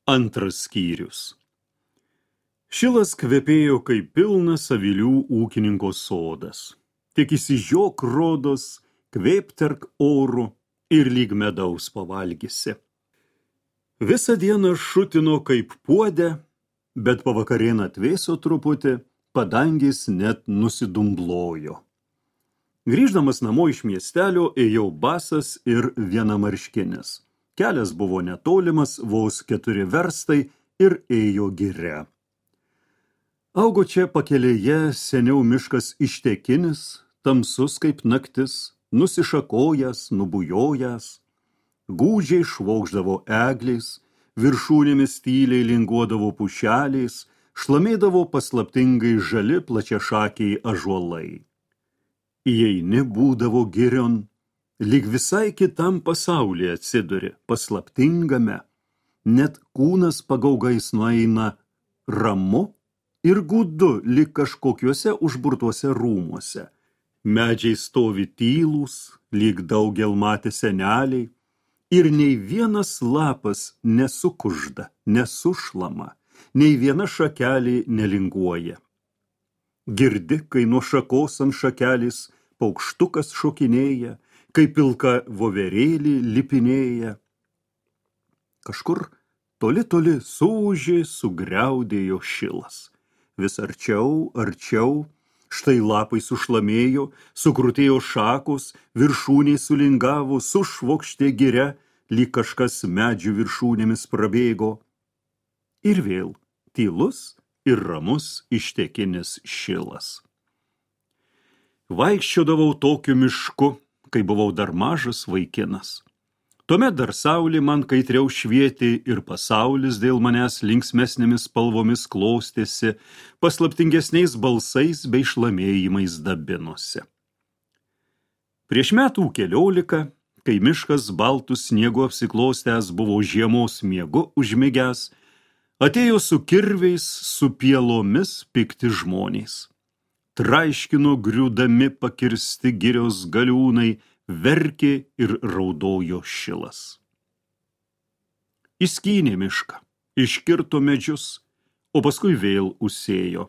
Antras skyrius. Šilas kvepėjo kaip pilnas avilių ūkininko sodas. Tik įsižiok rodos, kvėpterk oru ir lyg medaus pavalgysi. Visą dieną šutino kaip puodę, bet pavakarien atvėso truputį, padangis net nusidumblojo. Grįždamas namo iš miestelio, ėjau basas ir vienamarškinis. Kelias buvo netolimas, vos 4 verstai ir ėjo giria. Augo čia pakelėje seniau miškas ištekinis, tamsus kaip naktis, nusišakojęs, nubujojęs. Gūdžiai švokšdavo egliais, viršūnėmis tyliai linguodavo pušeliais, šlamėdavo paslaptingai žali plačiašakiai ąžuolai. Įeini būdavo girion, lyg visai kitam pasaulyje atsiduri, paslaptingame, net kūnas pagaugais nueina ramu ir gūdu, lyg kažkokiuose užburtuose rūmuose. Medžiai stovi tylūs, lyg daugel matė seneliai, ir nei vienas lapas nesukužda, nesušlama, nei viena šakelė nelinguoja. Girdi, kai nuo šakos ant šakelės paukštukas šokinėja, kai pilka voverėlį lipinėja. Kažkur toli suūžė, sugriaudėjo šilas. Vis arčiau, štai lapai sušlamėjo, sukrutėjo šakos, viršūniai sulingavo, sušvokštė giria, lyg kažkas medžių viršūnėmis prabėgo. Ir vėl tylus ir ramus ištekinis šilas. Vaikščiodavau tokiu mišku, kai buvau dar mažas vaikinas. Tuomet dar saulė man kaitriau švietė ir pasaulis dėl manęs linksmesnėmis spalvomis klostėsi, paslaptingesniais balsais bei šlamėjimais dabinosi. Prieš metų 14, kai miškas baltų sniegu apsiklostęs buvo žiemos miegu užmigęs, atėjo su kirviais, su pielomis pikti žmonės. Traiškino griūdami pakirsti girios galiūnai, verkė ir raudojo šilas. Įskynė mišką, iškirto medžius, o paskui vėl užsėjo.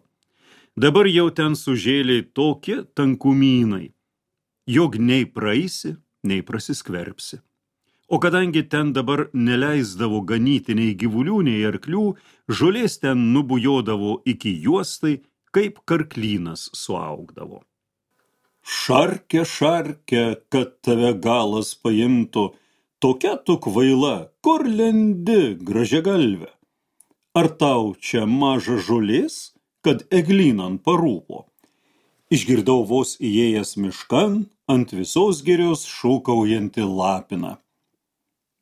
Dabar jau ten sužėlė tokie tankumynai, jog nei praeisi, nei prasiskverbsi. O kadangi ten dabar neleisdavo ganyti nei gyvulių, nei arklių, žolės ten nubujodavo iki juostai, kaip karklynas suaugdavo. Šarke, kad tave galas paimtų, tokia tu kvaila, kur lendi, gražiagalve? Ar tau čia maža žolės, kad eglynan parūpo? Išgirdau vos įėjęs miškan, ant visos girios šūkaujantį lapiną.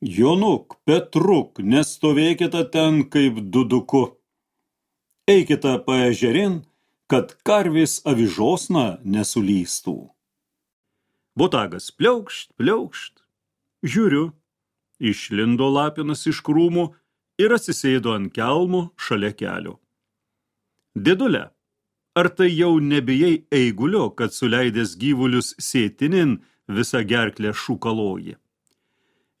Jonuk, Petruk, nestovėkite ten kaip duduku. Eikite paežerin, kad karvės avižosna nesulystų. Botagas pliaukšt. Žiūriu, išlindo lapinas iš krūmų ir atsisėdo ant kelmų šalia kelio. Dėdule, ar tai jau nebijai eigulio, kad suleidęs gyvulius sėtinin visą gerklę šūkaloji?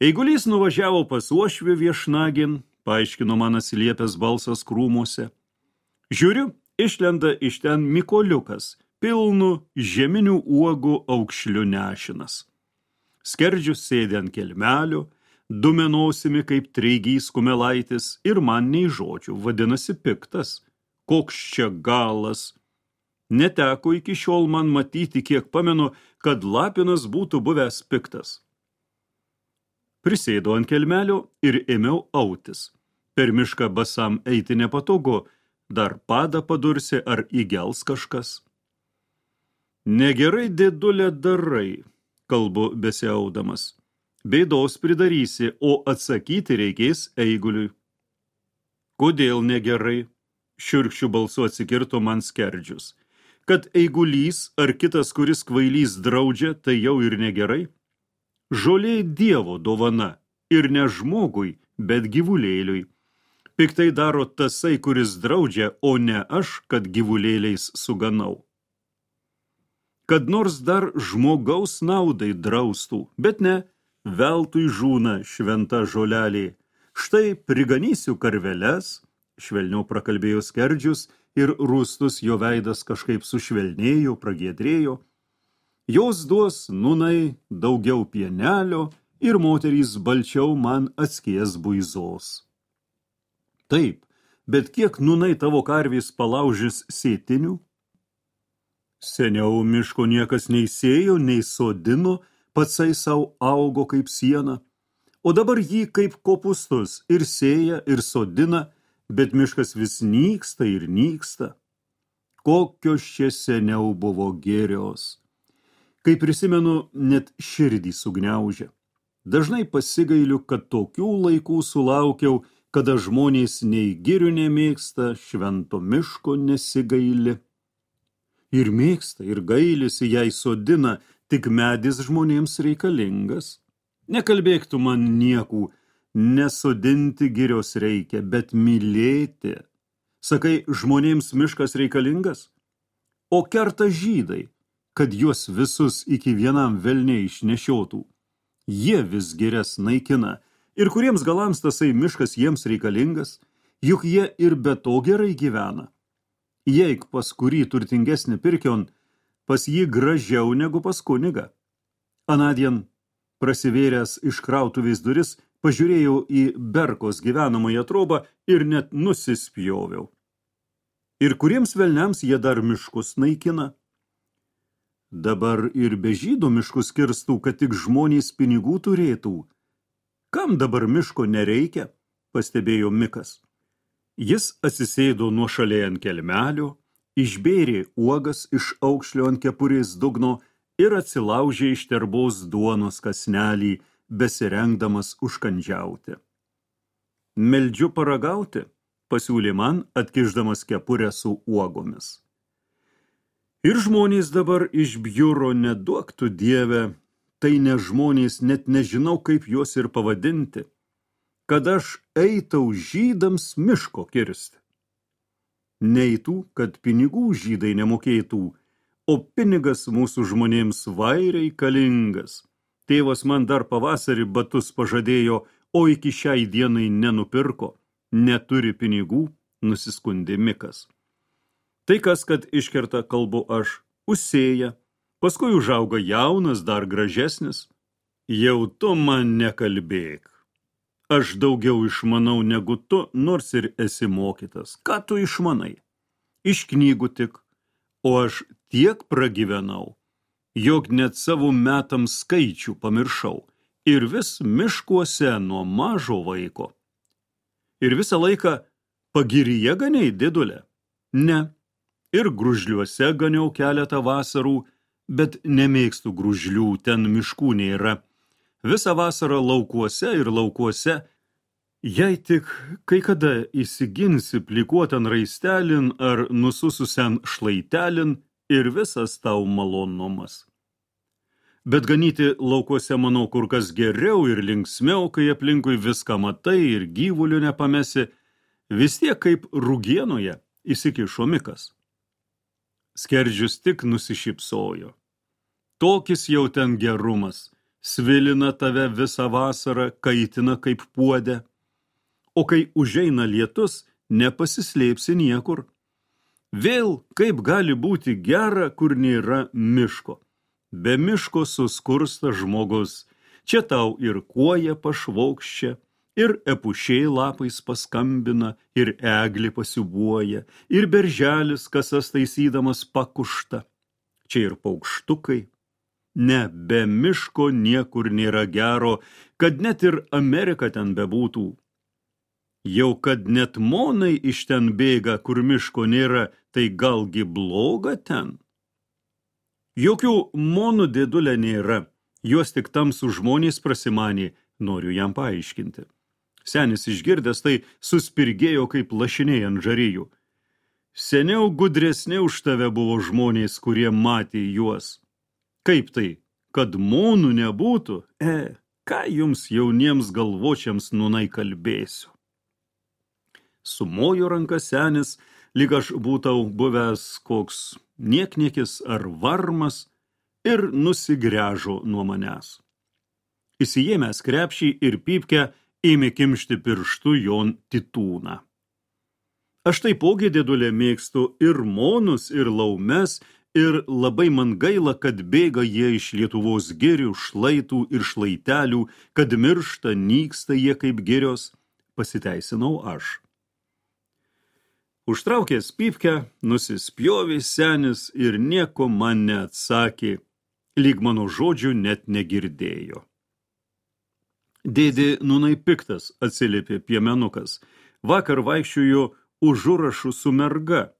Eigulys nuvažiavo pas uošvį viešnagin, paaiškino man atsiliepęs balsas krūmuose. Žiūriu, išlenda iš ten mykoliukas, pilnu žeminių uogų aukšliu nešinas. Skerdžius sėdė ant kelmelio, dumenosimi kaip treigys kumelaitis ir man nei žodžių, vadinasi piktas. Koks čia galas. Neteko iki šiol man matyti, kiek pamenu, kad lapinas būtų buvęs piktas. Prisėdo ant kelmelio ir ėmiau autis. Per mišką basam eiti nepatogu, dar padą padursi ar įgels kažkas. Negerai, dėdulė, darai, kalbu besiaudamas. Bėdos pridarysi, o atsakyti reikės eiguliui. Kodėl negerai? Šiurkščių balsu atsikirto man skerdžius. Kad eigulys ar kitas, kuris kvailys draudžia, tai jau ir negerai. Žolė Dievo dovana ir ne žmogui, bet gyvulėliui. Piktai daro tasai, kuris draudžia, o ne aš, kad gyvulėliais suganau. Kad nors dar žmogaus naudai draustų, bet ne, veltui žūna šventa žolelė. Štai priganysiu karveles, švelniau prakalbėjo Skerdžius ir rūstus jo veidas kažkaip sušvelnėjo, pragiedrėjo. Jos duos nūnai daugiau pienelio ir moterys balčiau man atskies buizos. Taip, bet kiek nūnai tavo karvės palaužys sėtinių? Seniau miško niekas nei sėjo, nei sodino, patsai sau augo kaip siena, o dabar jį kaip kopūstus ir sėja, ir sodina, bet miškas vis nyksta ir nyksta. Kokios čia seniau buvo gėrios. Kai prisimenu, net širdį sugniaužia. Dažnai pasigailiu, kad tokių laikų sulaukiau, kada žmonės nei girių nemėgsta, švento miško nesigaili. Ir mėgsta, ir gailisi, jei sodina, tik medis žmonėms reikalingas. Nekalbėk tu man niekų, nesodinti girios reikia, bet mylėti. Sakai, žmonėms miškas reikalingas? O kerta žydai, kad juos visus iki vienam velniai išnešiotų. Jie vis girias naikina, ir kuriems galams tasai miškas jiems reikalingas, juk jie ir be to gerai gyvena. Jeik pas kurį turtingesnį pirkion, pas jį gražiau negu pas kunigą. Anadien, prasivėręs iš krautuvės duris, pažiūrėjau į Berkos gyvenamąją trobą ir net nusispjoviau. Ir kuriems velniams jie dar miškus naikina? Dabar ir be žydų miškus kirstų, kad tik žmonės pinigų turėtų. Kam dabar miško nereikia, pastebėjo Mikas. Jis atsisėdo nuošaliai ant kelmelio, išbėrė uogas iš aukšlio ant kepurės dugno ir atsilaužė iš terbos duonos kąsnelį, besirengdamas užkandžiauti. Meldžiu paragauti, pasiūlė man, atkišdamas kepurę su uogomis. Ir žmonės dabar iš bjuro neduok tu Dieve, tai ne žmonės, net nežinau, kaip juos ir pavadinti, kad aš eitau žydams miško kirsti. Neitų, kad pinigų žydai nemokėtų, o pinigas mūsų žmonėms vairiai kalingas. Tėvas man dar pavasarį batus pažadėjo, o iki šiai dienai nenupirko. Neturi pinigų, nusiskundė Mikas. Tai kas, kad iškerta kalbu aš, užsėja, paskui užauga jaunas, dar gražesnis. Jau tu man nekalbėk. Aš daugiau išmanau negu tu, nors ir esi mokytas. Ką tu išmanai? Iš knygų tik, o aš tiek pragyvenau, jog net savo metams skaičių pamiršau ir vis miškuose nuo mažo vaiko. Ir visą laiką pagiryje ganiai, didulė? Ne. Ir gružliuose ganiau keletą vasarų, bet nemėgstu gružlių, ten miškų nėra. Visą vasarą laukuose ir laukuose, jei tik kai kada įsiginsi plikuotan raistelin ar nusususian šlaitelin ir visas tau malonumas. Bet ganyti laukuose manau kur kas geriau ir linksmiau, kai aplinkui viską matai ir gyvulių nepamesi, vis tiek kaip rugienoje įsikišo Mikas. Skerdžius tik nusišypsojo. Tokis jau ten gerumas, svilina tave visą vasarą, kaitina kaip puodę. O kai užeina lietus, nepasislėpsi niekur. Vėl kaip gali būti gera, kur nėra miško. Be miško suskursta žmogus. Čia tau ir kuoja pašvokščia, ir epušiai lapais paskambina, ir eglė pasiubuoja, ir berželis kasas taisydamas pakušta. Čia ir paukštukai. Ne, be miško niekur nėra gero, kad net ir Amerika ten bebūtų. Jau kad net monai iš ten bėga, kur miško nėra, tai galgi bloga ten? Jokių monų, dėdulė, nėra, juos tik tamsų žmonės prasimanė, noriu jam paaiškinti. Senis išgirdęs tai suspirgėjo kaip lašiniai ant žarijų. Seniau gudresni už tave buvo žmonės, kurie matė juos. Kaip tai, kad monų nebūtų? Ką jums jauniems galvočiams nūnai kalbėsiu? Sumojo ranka senis, lyg aš būtau buvęs koks niekniekis ar varmas, ir nusigręžo nuo manęs. Įsijėmęs krepšį ir pypkę, ėmė kimšti pirštu jon titūną. Aš taipogi, dėdulė, mėgstu ir monus, ir laumes, ir labai man gaila, kad bėga jie iš Lietuvos girių, šlaitų ir šlaitelių, kad miršta, nyksta jie kaip girios, pasiteisinau aš. Užtraukęs pypkę, nusispjovė senis ir nieko man neatsakė, lyg mano žodžių net negirdėjo. Dėdė nūnai piktas, atsiliepė piemenukas, vakar vaikščiojo užurašų su merga,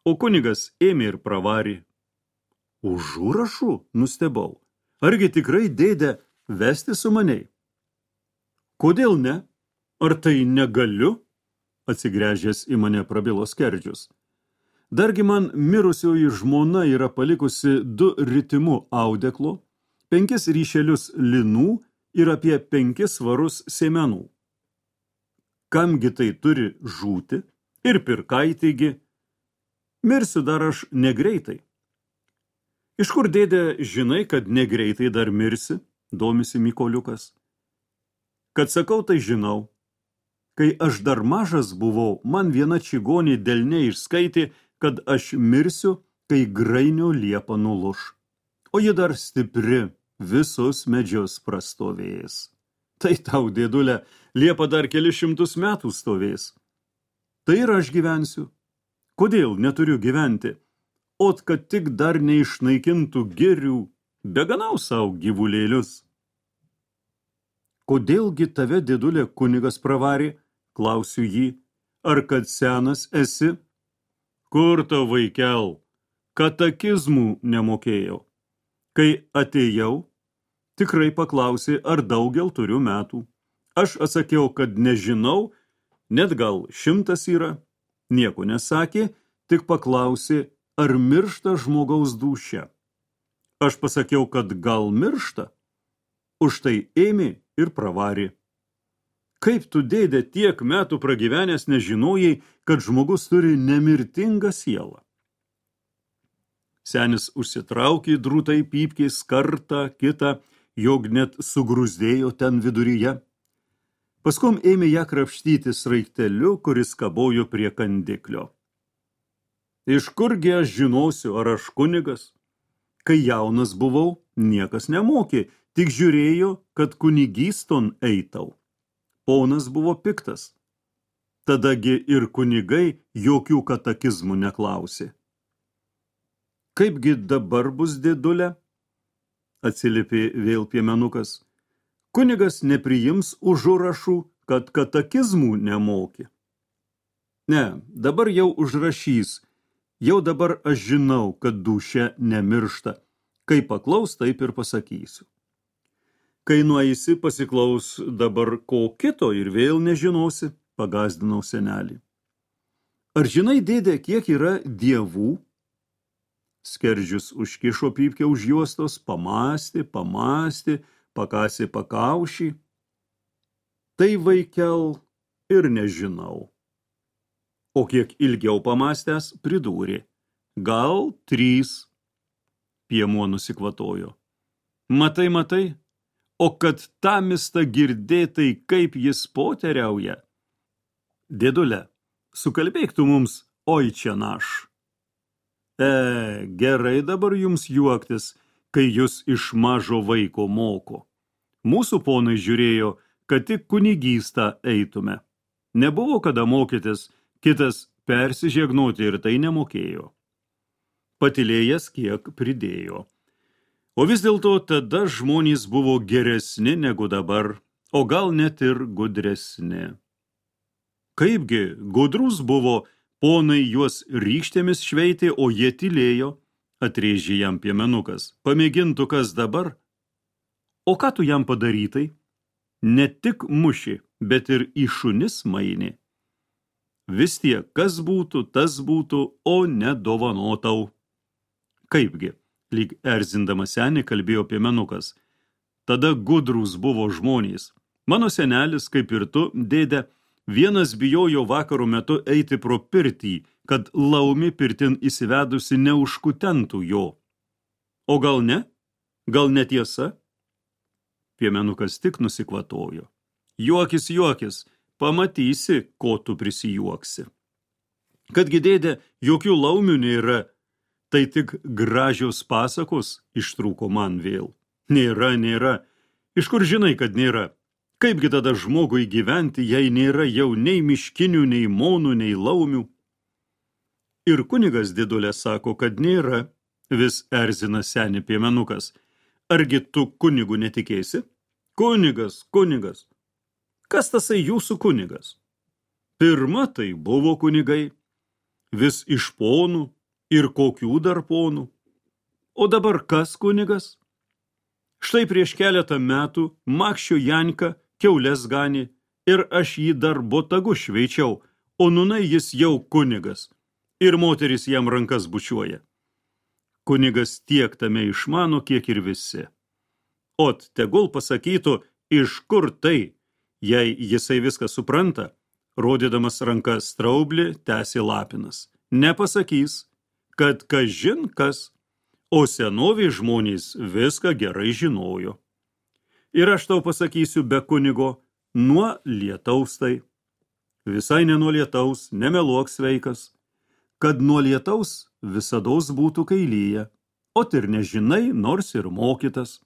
o kunigas ėmė ir pravarė. Užurašų? Nustebau. Argi tikrai, dėdė, vesti su maniai? Kodėl ne? Ar tai negaliu? Atsigręžęs į mane prabilo Skerdžius. Dargi man mirusioji žmona yra palikusi 2 ritimu audeklo, 5 ryšelius linų ir apie 5 svarus sėmenų. Kamgi tai turi žūti? Ir pirkaitėgi. Mirsiu dar aš negreitai. Iš kur, dėdė, žinai, kad negreitai dar mirsi? Domisi Mykoliukas. Kad sakau, tai žinau. Kai aš dar mažas buvau, man viena čigonė delne išskaitė, kad aš mirsiu, kai grainio liepa nuluš. O ji dar stipri, visus medžius prastovės. Tai tau, dėdulė, liepa dar kelius 100 metų stovės. Tai ir aš gyvensiu. Kodėl neturiu gyventi? Ot, kad tik dar neišnaikintų girių, beganau savo gyvulėlius. Kodėlgi tave, dėdulė, kunigas pravarė? Klausiu jį. Ar kad senas esi? Kur tau, vaikel? Katekizmų nemokėjau. Kai atėjau, tikrai paklausė, ar daugel turiu metų. Aš atsakiau, kad nežinau, net gal 100 yra. Nieko nesakė, tik paklausė, ar miršta žmogaus dūšia. Aš pasakiau, kad gal miršta. Už tai ėmė ir pravarė. Kaip tu, dėdė, tiek metų pragyvenęs nežinojai, kad žmogus turi nemirtingą sielą? Senis užsitraukė drūtai pypkės kartą, kitą, jog net sugrūzdėjo ten viduryje. Paskum ėmė ją krapštyti sraigteliu, kuris kabojo prie kandiklio. Iš kurgi aš žinosiu, ar aš kunigas? Kai jaunas buvau, niekas nemokė, tik žiūrėjo, kad kunigyston eitau. Ponas buvo piktas. Tadagi ir kunigai jokių katekizmų neklausė. Kaipgi dabar bus, dėdulė? Atsiliepė vėl piemenukas. Kunigas nepriims užurašų, kad katekizmų nemokė. Ne, dabar jau užrašys. Jau dabar aš žinau, kad dūšia nemiršta. Kai paklaus, taip ir pasakysiu. Kai nueisi, pasiklaus dabar ko kito ir vėl nežinosi, pagazdinau senelį. Ar žinai, dėdė, kiek yra dievų? Skerdžius užkišo pypkę už juostos, pamąstė, pakasė pakaušį. Tai, vaikel, ir nežinau. O kiek ilgiau pamąstęs, pridūrė. Gal 3. Piemuo nusikvatojo. Matai, o kad tamista girdėtai, kaip jis poteriauja. Dėdulė, sukalbėk tu mums, oi čia naš. Gerai dabar jums juoktis, kai jūs iš mažo vaiko moko. Mūsų ponai žiūrėjo, kad tik kunigystą eitume. Nebuvo kada mokytis, kitas persižegnoti ir tai nemokėjo. Patilėjęs kiek pridėjo. O vis dėlto tada žmonės buvo geresni negu dabar, o gal net ir gudresni. Kaipgi gudrus buvo, ponai juos rykštėmis šveitė, o jie tylėjo, atrėžė jam piemenukas. Pamėgintų kas dabar? O ką tu jam padarytai? Ne tik muši, bet ir į šunis mainė. Vis tiek, kas būtų, tas būtų, o nedovanotau. Kaipgi, lyg erzindamas senį kalbėjo piemenukas. Tada gudrūs buvo žmonės. Mano senelis, kaip ir tu, dėdė, vienas bijojo vakaro metu eiti pro pirtį, kad laumi pirtin įsivedusi neužkutentų jo. O gal ne? Gal netiesa? Piemenukas tik nusikvatojo. Juokis, juokis, pamatysi, ko tu prisijuoksi. Kadgi dėdė, jokių laumių nėra, tai tik gražios pasakos, ištrūko man vėl. Nėra, nėra. Iš kur žinai, kad nėra? Kaipgi tada žmogui gyventi, jei nėra jau nei miškinių, nei monų, nei laumių? Ir kunigas didulė sako, kad nėra, vis erzina seni piemenukas. Argi tu kunigu netikėsi? Kunigas, kunigas. Kas tasai jūsų kunigas? Pirma tai buvo kunigai, vis iš ponų ir kokių dar ponų. O dabar kas kunigas? Štai prieš keletą metų Makščio Janka kiaules ganė ir aš jį dar botagu šveičiau, o nūnai jis jau kunigas ir moteris jam rankas bučiuoja. Kunigas tiek tame išmano, kiek ir visi. Ot, tegul pasakytų, iš kur tai, jei jisai viską supranta, rodydamas ranką straublį, tęsė Lapinas. Nepasakys, kad kažin kas, o senoviai žmonės viską gerai žinojo. Ir aš tau pasakysiu be kunigo, nuo lietaus tai. Visai ne nuo lietaus, nemeluok sveikas, kad nuo lietaus visados būtų kailyje, o ir nežinai, nors ir mokytas.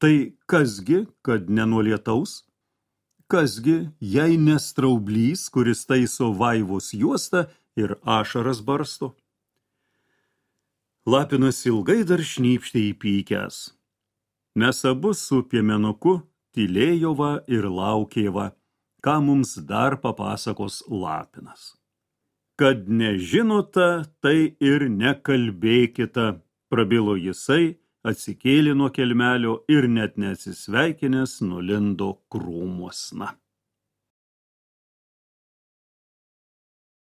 Tai kasgi, kad ne nuo lietaus? Kasgi, jei ne straublys, kuris taiso vaivos juostą ir ašaras barsto? Lapinas ilgai dar šnypštė įpykęs. Mes abu su piemenuku tylėjo va ir laukė va, ką mums dar papasakos Lapinas. Kad nežinota, tai ir nekalbėkita, prabilo jisai, atsikėlė nuo kelmelio ir net neatsisveikinęs nulindo krūmuosna.